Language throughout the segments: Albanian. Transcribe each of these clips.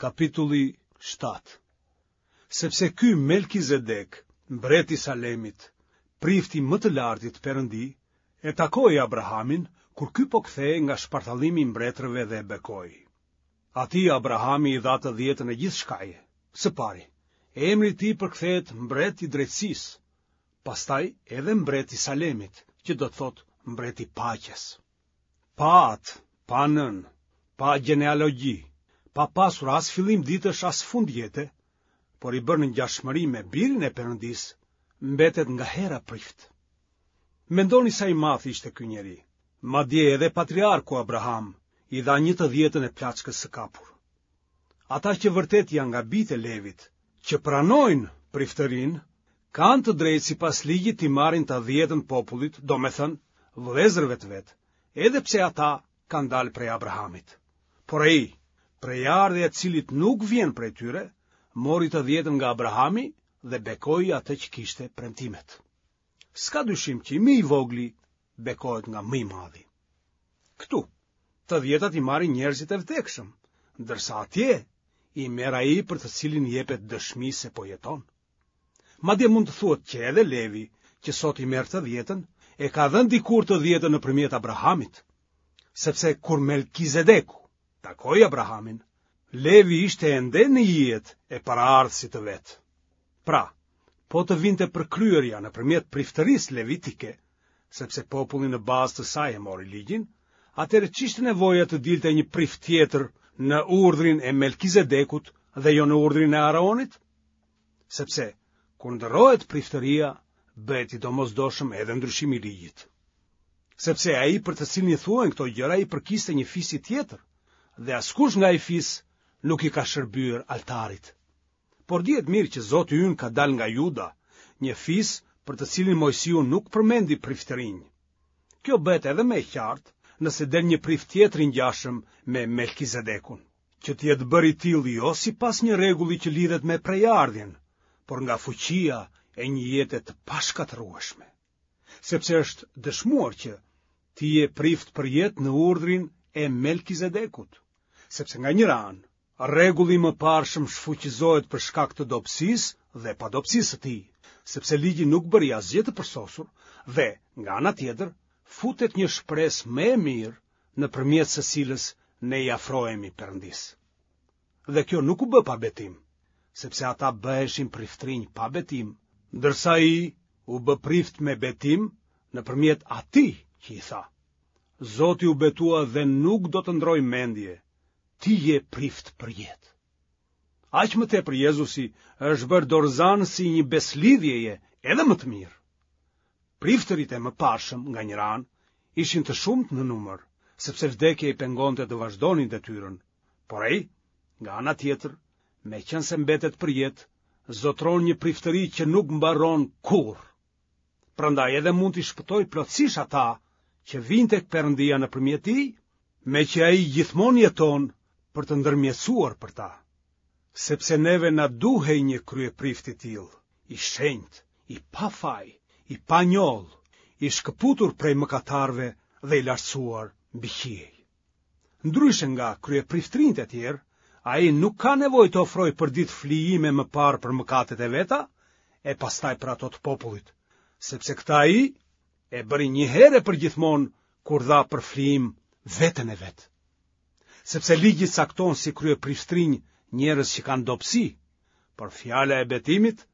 Kapitulli 7 Sepse ky Melkizedek, mbret i Salemit, prift i më të lartit Perëndi, e takoi Abrahamin kur ky po kthehej nga shpartallimi i mbretërve dhe e bekoi. Atij Abrahami i dha të dhjetën e gjithçkaje. Së pari, emri i tij përkthehet mbret i drejtësisë, pastaj edhe mbret i Salemit, që do të thotë mbret i paqes. Pa atë, pa nënë, pa gjenealogji, pa pasur as fillim ditësh as fund jete, por i bërë në ngjashmëri me birin e Perëndisë, mbetet nga hera prift. Mendoni sa i madh ishte ky njeri. Madje edhe patriarku Abraham i dha një të dhjetën e plaçkës së kapur. Ata që vërtet janë nga bijtë e Levit, që pranojnë priftërinë, kanë të drejtë sipas ligjit t'i marrin të dhjetën popullit, domethënë, vëllezërve të vet, edhe pse ata kanë dalë prej Abrahamit. Por ai, prejardhja e të cilit nuk vjen prej tyre, mori të dhjetën nga Abrahami dhe bekoi atë që kishte premtimet. S'ka dyshim që më i vogli bekohet nga më i madhi. Këtu, të dhjetat i marrin njerëzit e vdekshëm, ndërsa atje i merr ai për të cilin jepet dëshmi se po jeton. Madje mund të thuhet që edhe Levi, që sot i merr të dhjetën, e ka dhënë dikur të dhjetën nëpërmjet Abrahamit, sepse kur Melkizedeku takoi Abrahamin, Levi ishte ende në ijet e paraardhësit të vet. Pra, po të vinte përkryerja nëpërmjet priftërisë levitike, sepse populli në bazë të saj e mori ligjin, atëherë ç'ishte nevoja të dilte një prift tjetër në urdhrin e Melkizedekut dhe jo në urdhrin e Aaronit? Sepse, kur ndërrohet priftëria, bëhet i domosdoshëm edhe ndryshimi i ligjit. Sepse ai për të cilin i thuhen këto gjëra i përkiste një fisi tjetër, dhe askush nga ai fis nuk i ka shërbyer altarit. Por dihet mirë që Zoti ynë ka dalë nga Juda, një fis për të cilin Moisiu nuk përmendi priftërinj. Kjo bëhet edhe më e qartë nëse del një prift tjetër i ngjashëm me Melkizedekun, që të jetë bërë i tillë jo sipas një rregulli që lidhet me prejardhjen, por nga fuqia e një jete të pashkatërrueshme. Sepse është dëshmuar që ti je prift përjetë në urdhrin e Melkizedekut, sepse nga njëra anë, rregulli i mëparshëm shfuqizohet për shkak të dobësisë dhe padobësisë së tij, sepse ligji nuk bëri asgjë të përsosur dhe, nga ana tjetër, futet një shpresë më e mirë nëpërmjet së cilës ne i afrohemi Perëndisë. Dhe kjo nuk u bë pa betim, sepse ata bëheshin priftërinj pa betim, ndërsa ai u bë prift me betim nëpërmjet atij që i tha. Zoti u betua dhe nuk do të ndërrojë mendje, ti je prift përjetë. Aq më tepër Jezusi është bërë dorëzanësi i një besëlidhjeje edhe më të mirë. Priftërit e mëparshëm nga njëra anë ishin të shumtë në numër, sepse vdekja i pengonte të vazhdonin detyrën, por ai, nga ana tjetër, meqenëse mbetet përjetë, zotëron një priftëri që nuk mbaron kurrë. Prandaj edhe mund t'i shpëtojë plotësisht ata që vijnë tek Perëndia nëpërmjet tij, meqë ai gjithmonë jeton për të ndërmjetësuar për ta. Sepse neve na duhej një kryeprift i tillë, i shenjtë, i pafaj, i panjollë, i shkëputur prej mëkatarëve dhe i lartësuar mbi qiej. Ndryshe nga kryepriftërinjtë e tjerë, ai nuk ka nevojë të ofrojë përditë flijime më parë për mëkatet e veta e pastaj për ato të popullit, sepse këtë ai e bëri një herë e përgjithmonë kur dha për flijim veten e vet. Sepse ligji cakton si kryepriftërinj njerëz që kanë dobësi, por fjala e betimit,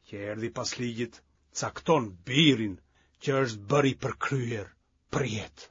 që erdhi pas ligjit, cakton birin që është bërë i përkryer përjetë.